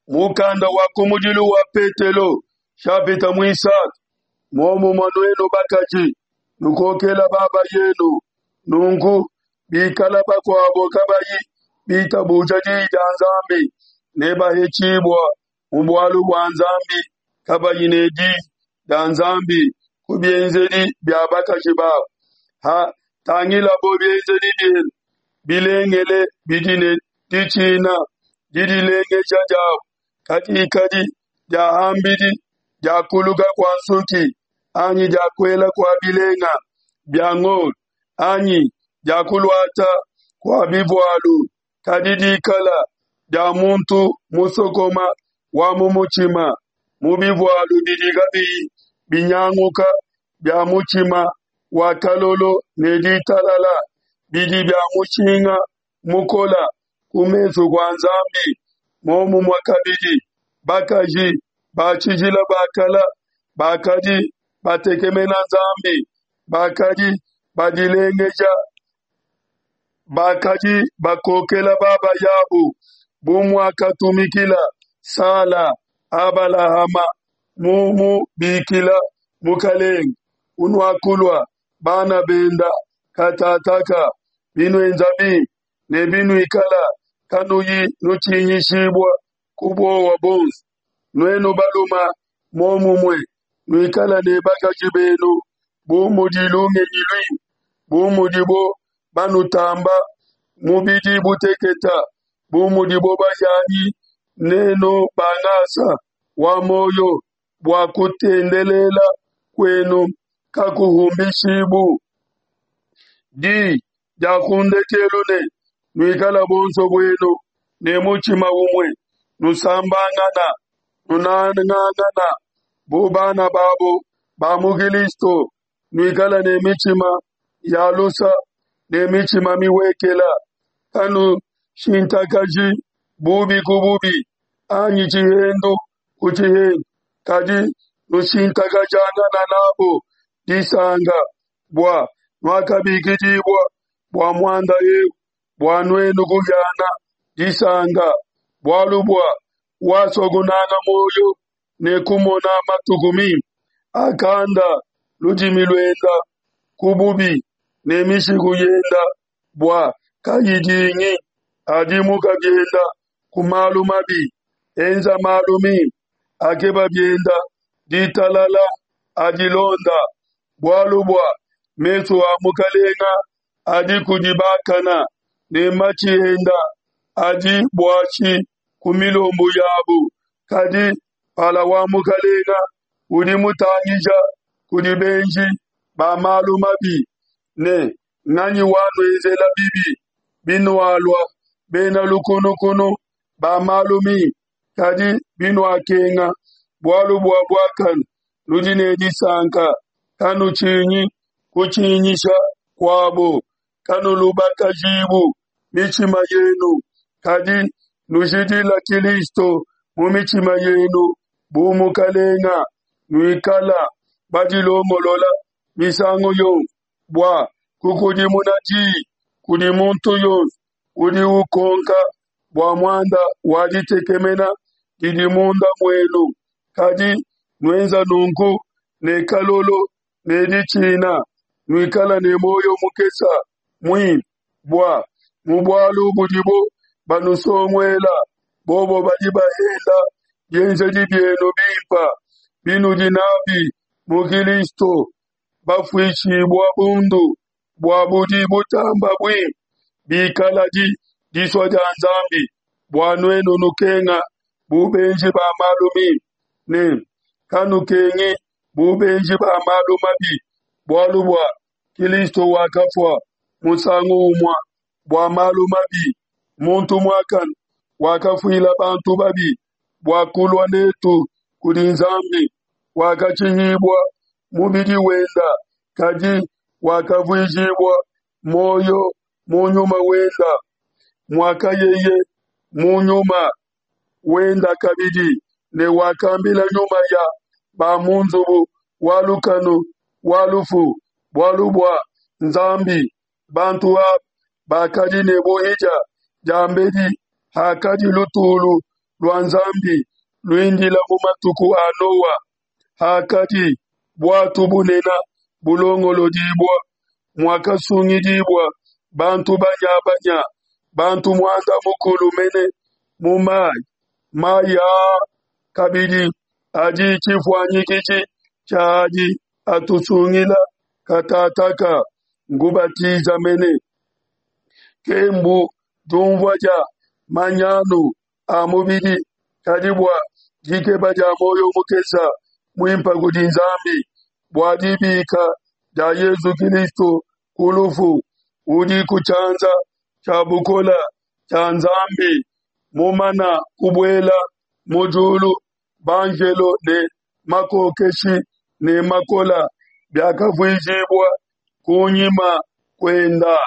Mukanda wa kumudilu wa Petelo, shapita muisatu. Muomumue nuenu bakaji, nukokela baba yenu. Nunku bikala bakuabo kabayi bitabuja diyi dia Nzambi, nebahetshibua mu bualu bua Nzambi kabayi ne diyi dia Nzambi ku bienzedi bia bakaji babo. Ha tangilabo bienzedi bienu bilengele bidi ne ditshina, didilengeja diabo kadikadi dia ham'bidi dia kuluka kua nsuki anyi dia kuela kua bilenga bia ngolo anyi dia kuluata kua bivualu, kadi dikala dia muntu musokoma wa mu mutshima, mu bivualu bidi kabiyi binyanguka bia mutshima wa kalolo ne ditalala, bidi bia mushinga mukola ku mesu kua Nzambi. Muomumue kabidi, bakaji ba tshijila ba kala bakadi batekemena Nzambi, bakadi badilengeja, bakadi bakokela babayabu, bu muakatumikila Sala Abalahama mumubikila Mukalenge, unuakulua bana benda katataka, binuenza bimpe ne binuikala kanuyi nutshinyishibua ku buowa buonso. Nuenu baluma muomumue, nuikala ne bakaji benu bu mudi lungenyi luimpe, bu mudibo banutamba mubidi buteketa, bu mudibo bahianyi nenu ba ngasa wa muoyo, bua kutendelela kuenu kakuhumbishibu. Di dia ku ndekelu ne, Nuikala buonso buenu ne mutshima umue, nusambangana, nunangangana bu bana babo ba mu Kilisto, nuikala ne mitshima ya lusa ne mitshima mihuekela, kanushintakaji bubi ku bubi anyi tshihendu ku tshihendu, kadi nushintakajangana n'abo disanka, bua nuakabikidibua bua muanda eu, bua nuenu kuhiana disanka. Bualu bua wasua kunanga muoyo ne kumona matuku mimpe, akanda ludimi luenda ku bubi ne mishiku yenda bua kayidingi. Adimuka bienda ku malu mabi, enza malu mimpe, akeba bienda ditalala, adilonda. Bualu bua mesu a Mukalenga adi kudi bakana, ne matshi enda adi buashi ku milombu yabu. Kadi mpala wa Mukalenga udi mutangija kudi benji ba malu mabi, ne nganyi wanuenzela bibi binualua bena lukunukunu ba malu mimpe? Kadi binuakenga bualu bua buakane, nudi ne disanka. Kanutshinyi kutshinyisha kuabo, kanulubakajibu mitshima yenu, kadi nujidila Kilisto mu mitshima yenu bu Mukalenga, nuikala badilongolola misangu yonso bua kukudimuna diyi kudi muntu yonso udi ukonka bua muanda wa ditekemena didi munda muenu, kadi nuenza nunku ne kalolo ne ditshina, nuikala ne muoyo mukesa muimpe, bua mu bualu budibo banusonguela, bobo badi bahenda bienzedi bienu bimpe binudi nabi mu Kilisto, bafuishibua bundu bua budi butamba buimpe, bikaladi disua dia Nzambi bua nuenu nukenga bu benji ba malu mimpe, ne kanukengi bu benji ba malu mabi, bualu bua Kilisto wakafua musangu umue bua malu mabi, muntu muakane wakafuila bantu babi, bua kulua netu kudi Nzambi, wakatshihibua mubidi wenda, kadi wakavuijibua muoyo mu nyuma wenda, muakayeye mu nyuma wenda kabidi, ne wakambila nyuma ya ba mu nzubu wa lukanu wa lufu bualu bua Nzambi. Bantu aba bakadi ne buhidia diambedi hakadi lutulu. lua Nzambi luindila mu matuku a Noa, hakadi buatu bunene bulongolodibua, muakasungidibua bantu banya-banya, bantu muanda mukulu mene mu mai. Mai aa kabidi adi tshifuanyikiji tshia adi atusungila katataka, ngubatiza mene, kembu diumvua dia manyanu a mubidi, kadi bua dikeba dia muoyo mukese muimpe kudi Nzambi, bua dibika dia Yezu Kilisto ku lufu, udi ku tshianza tshia bukole tshia Nzambi, mumana kubuela mu diulu, banjelo ne makokeshi ne makola biakavuijibua kunyima kuenda.